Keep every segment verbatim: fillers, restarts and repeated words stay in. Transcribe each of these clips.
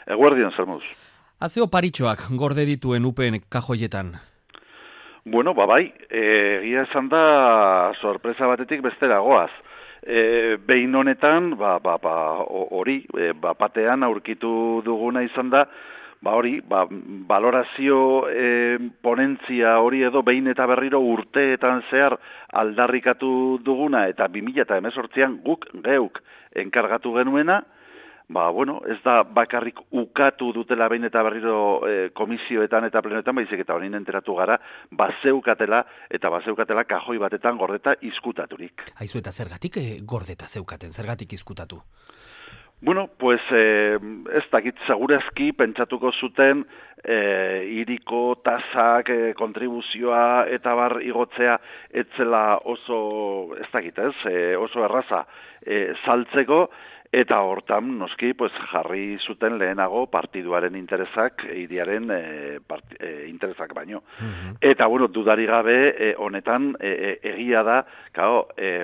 Eguerdian, zer moduz? Azeo paritxoak gorde dituen upen kajoietan? Bueno, ba bai, egia esan da sorpresa batetik bestera goaz. E, behin honetan, ba, ba, ba, hori, e, ba, batean aurkitu duguna izan da, ba hori, ba, valorazio e, ponentzia hori edo behin eta berriro urteetan zehar aldarrikatu duguna, eta bi mila hemezortzian guk geuk enkargatu genuena. Ba, bueno, ez da bakarrik ukatu dutela behin eta berriro e, komisioetan eta plenoetan, baizik eta honin enteratu gara, bazeukatela eta bazeukatela kajoi batetan gordeta izkutaturik. Haizu eta zergatik eh, gordeta zeukaten, zergatik izkutatu? Bueno, pues eh, ez dakit segurazki pentsatuko zuten eh, iriko tasak, eh, kontribuzioa eta bar igotzea etzela oso, ez dakit ez, eh, oso erraza eh, saltzeko. Eta hortan, noski, pues, jarri zuten lehenago partiduaren interesak, hiriaren e, e, interesak baino. Uh-huh. Eta, bueno, dudari gabe, e, honetan, e, egia da, kao, e,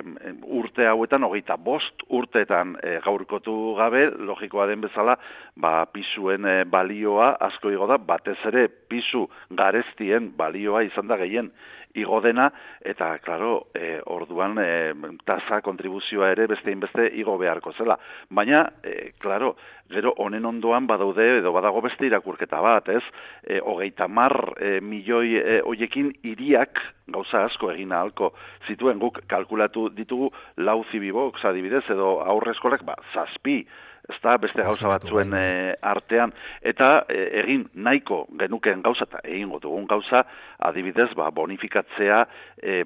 urte hauetan, hogeita bost urteetan e, gaurkotu gabe, logikoa den bezala, ba, pisuen e, balioa asko igo da, batez ere pisu garestien balioa izan da gehien igo dena, eta, klaro, e, orduan e, tasa, kontribuzioa ere beste inbeste igo beharko zela. Baina, e, klaro, gero honen ondoan badaude, edo badago beste irakurketa bat, ez? E, hogeita mar e, milioi e, hoiekin hiriak gauza asko egin ahalko zituen, guk kalkulatu ditugu lau zibibox adibidez, edo aurrezkolak, ba, zazpi, ez da, beste gauza batzuen e, artean, eta e, egin nahiko genuken gauza, eta egingo dugun gauza, adibidez, ba, bonifikatzea e,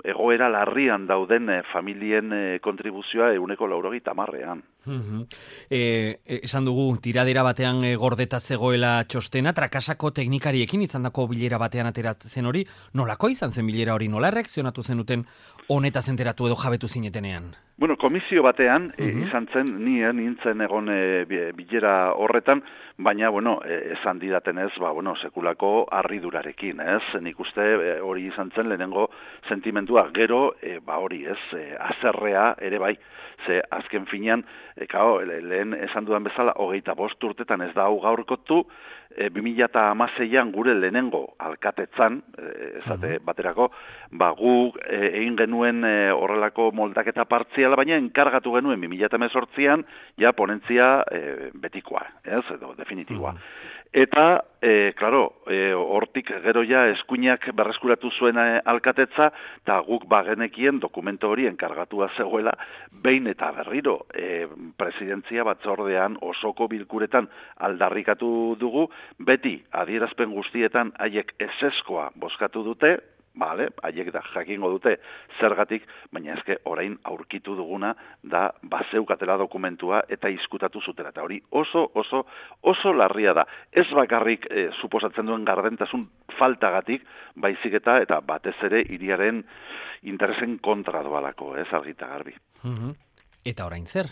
egoera larrian dauden e, familien e, kontribuzioa euneko laurogeita hamarrean. Uh-huh. E, esan dugu, tiradera batean e, gordeta zegoela txostena, trakasako teknikariekin izan dako bilera batean ateratzen hori, nolako izan zen bilera hori, nola reakzionatu zenuten honetaz enteratu edo jabetu zinetenean? Bueno, komisio batean uh-huh. izan zen, nien nintzen egon e, bilera horretan, baina, bueno, e, esan didaten ez, ba, bueno, sekulako harridurarekin, ez? Nik uste e, hori izan zen lehenengo sentimentua, gero, e, ba, hori, ez, e, azerrea ere bai, ze azken finean, e, kao, lehen esan dudan bezala, hogeita bost urtetan ez da hau gaurkotu, e, bi mila hamaseian gure lehenengo alkatetzan, e, ezate uh-huh. baterako, ba, gu e, egin genuen e, horrelako moldaketa partziala, baina enkargatu genuen bi mila hemezortzian, ja ponentzia e, betikoa, ez, edo definitiboa. Uh-huh. Eta, e, klaro, e, hortik gero ja eskuinak berreskuratu zuen alkatetza, eta guk bagenekien dokumento hori enkargatua zegoela, behin eta berriro e, presidentzia batzordean osoko bilkuretan aldarrikatu dugu, beti adierazpen guztietan haiek eseskoa bozkatu dute, Bale, haiek da jakingo dute zergatik, baina eske orain aurkitu duguna da bazeukatela dokumentua eta izkutatu zutela. Eta hori oso, oso, oso larria da. Ez bakarrik e, suposatzen duen gardentasun faltagatik, baizik eta eta batez ere hiriaren interesen kontra doalako, ez argita garbi. Uh-huh. Eta orain zer?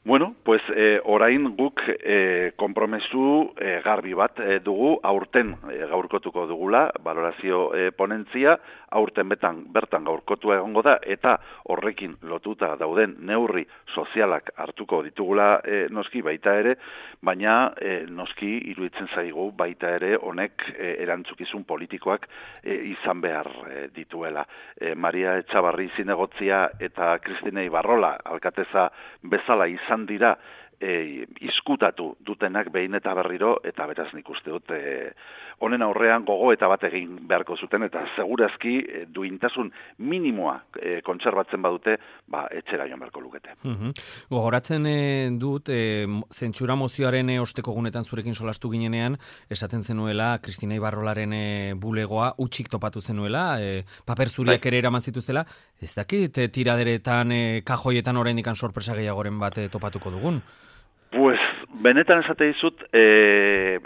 Bueno, pues eh, orain guk eh, konpromesu eh, garbi bat eh, dugu, aurten eh, gaurkotuko dugula, valorazio eh, ponentzia, aurten betan, bertan gaurkotua egongo da, eta horrekin lotuta dauden neurri sozialak hartuko ditugula eh, noski baita ere, baina eh, noski iruditzen zaigu baita ere honek eh, erantzukizun politikoak eh, izan behar eh, dituela. Eh, Maria Etxabarri zinegotzia eta Kristina Ibarrola alkateza bezala izan dira e, izkutatu dutenak behin eta berriro, eta beraz nik uste dut e, honen aurrean gogo eta bat egin beharko zuten, eta segurazki e, duintasun minimoa e, kontserbatzen badute, ba, etxera joan beharko lukete. Uh-huh. Gogoratzen e, dut, e, zentsura mozioaren e, osteko gunetan zurekin solastu ginenean, esaten zenuela, Kristina Ibarrolaren e, bulegoa utxik topatu zenuela, e, paper zuriak bai. Ere eraman zituzela, ez dakit, e, tiraderetan, e, kajoietan oraindik sorpresa gehiagoren bat e, topatuko dugun? Pues, benetan esate dizut, e,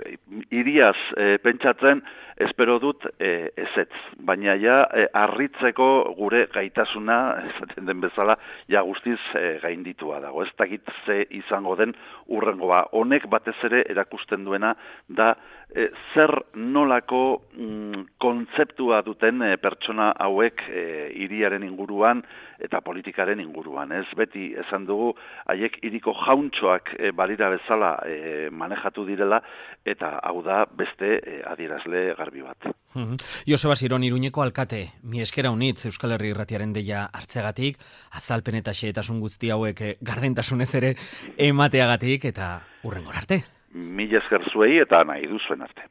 iriaz e, pentsatzen, espero dut e, ezetz. Baina ja, e, harritzeko gure gaitasuna, esaten den bezala, ja guztiz e, gainditua dago. Ez dakit ze izango den urrengoa. Honek batez ere erakusten duena da e, zer nolako mm, kontzeptua duten e, pertsona hauek e, hiriaren inguruan eta politikaren inguruan. Ez beti esan dugu, haiek hiriko jauntxoak e, balira bezala e, manejatu direla, eta hau da beste e, adierazle garbi bat. Mm-hmm. Joseba Ziron, Iruñeko alkate, mi eskera unitz Euskal Herri Irratiaren deia hartzegatik, azalpen eta xehetasun guzti hauek gardentasunez ere emateagatik, eta hurrengora arte. Mila esker zuei eta nahi duzuen arte.